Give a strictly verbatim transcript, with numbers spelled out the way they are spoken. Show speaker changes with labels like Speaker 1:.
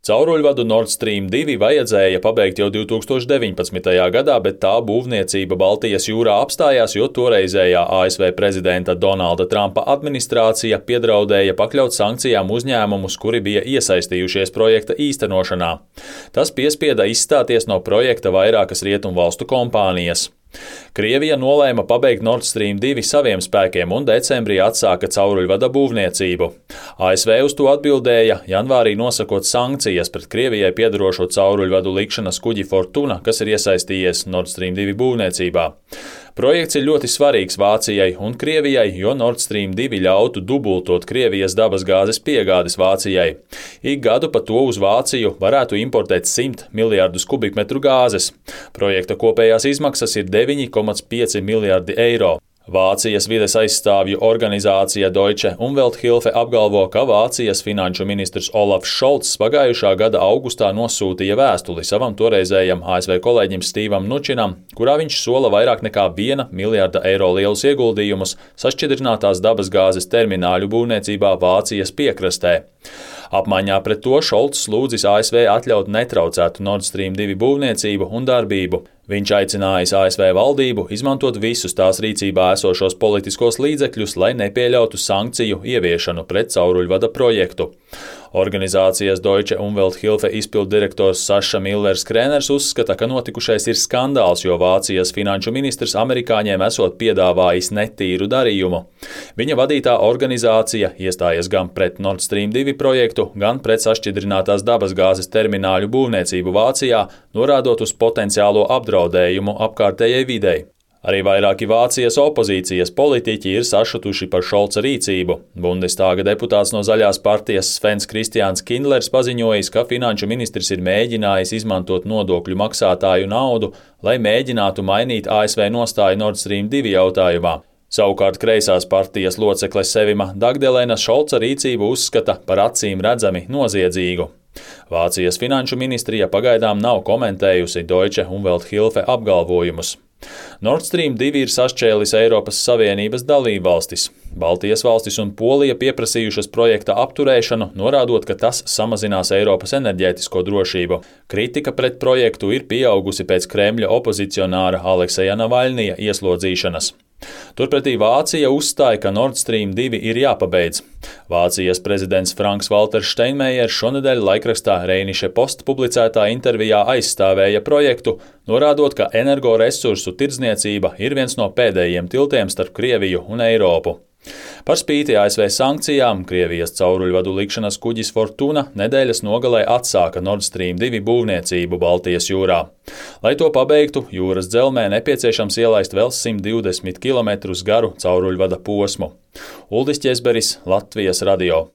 Speaker 1: Cauruļvadu Nord Stream divi vajadzēja pabeigt jau divtūkstoš deviņpadsmitajā gadā, bet tā būvniecība Baltijas jūrā apstājās, jo toreizējā A S V prezidenta Donalda Trumpa administrācija piedraudēja pakļaut sankcijām uzņēmumus, kuri bija iesaistījušies projekta īstenošanā. Tas piespieda izstāties no projekta vairākas rietumvalstu kompānijas. Krievija nolēma pabeigt Nord Stream divi saviem spēkiem un decembrī atsāka cauruļvada būvniecību. A S V uz to atbildēja, janvārī nosakot sankcijas pret Krievijai piedarošo cauruļvadu likšanas kuģi Fortuna, kas ir iesaistījies Nord Stream divi būvniecībā. Projekts ir ļoti svarīgs Vācijai un Krievijai, jo Nord Stream divi ļautu dubultot Krievijas dabasgāzes piegādes Vācijai. Ik gadu pa to uz Vāciju varētu importēt simt miljardus kubikmetru gāzes. Projekta kopējās izmaksas ir deviņi komats pieci miljardi eiro. Vācijas vides aizstāvju organizācija Deutsche Umwelthilfe apgalvo, ka Vācijas finanšu ministrs Olafs Šolts pagājušā gada augustā nosūtīja vēstuli savam toreizējam A S V kolēģim Stevam Mnučinam, kurā viņš sola vairāk nekā viena miljarda eiro lielus ieguldījumus sašķidrinātās dabasgāzes termināļu būvniecībā Vācijas piekrastē. Apmaiņā pret to Šolts lūdzis A S V atļaut netraucētu Nord Stream divi būvniecību un darbību. Viņš aicinājis A S V valdību izmantot visus tās rīcībā esošos politiskos līdzekļus, lai nepieļautu sankciju ieviešanu pret cauruļvada projektu. Organizācijas Deutsche Umwelthilfe izpilddirektors Saša Millers-Krēners uzskata, ka notikušais ir skandāls, jo Vācijas finanšu ministrs amerikāņiem esot piedāvājis netīru darījumu. Viņa vadītā organizācija iestājas gan pret Nord Stream divi projektu, gan pret sašķidrinātās dabasgāzes termināļu būvniecību Vācijā, norādot uz potenciālo apdraudējumu apkārtējai videi. Arī vairāki Vācijas opozīcijas politiķi ir sašutuši par Šolca rīcību. Bundestāga deputāts no Zaļās partijas Svens Kristiāns Kindlers paziņojis, ka finanšu ministrs ir mēģinājis izmantot nodokļu maksātāju naudu, lai mēģinātu mainīt A S V nostāju Nord Stream divi jautājumā. Savukārt kreisās partijas locekle Sevima Dagdelēna Šolca rīcību uzskata par acīm redzami noziedzīgu. Vācijas finanšu ministrija pagaidām nav komentējusi Deutsche Umwelthilfe apgalvojumus. Nord Stream divi ir sašķēlis Eiropas Savienības dalībvalstis. Baltijas valstis un Polija pieprasījušas projekta apturēšanu, norādot, ka tas samazinās Eiropas enerģētisko drošību. Kritika pret projektu ir pieaugusi pēc Kremļa opozicionāra Alekseja Navaļnija ieslodzīšanas. Turpretī Vācija uzstāja, ka Nord Stream divi ir jāpabeidz. Vācijas prezidents Franks Valters Steinmeiers šonedēļ laikrakstā Rheinische Post publicētā intervijā aizstāvēja projektu, norādot, ka energoresursu tirdzniecība ir viens no pēdējiem tiltiem starp Krieviju un Eiropu. Par spīti A S V sankcijām, Krievijas cauruļvadu likšanas kuģis Fortuna nedēļas nogalē atsāka Nord Stream divi būvniecību Baltijas jūrā. Lai to pabeigtu, jūras dzelmē nepieciešams ielaist vēl simt divdesmit kilometrus garu cauruļvada posmu. Uldis Ķezberis, Latvijas radio.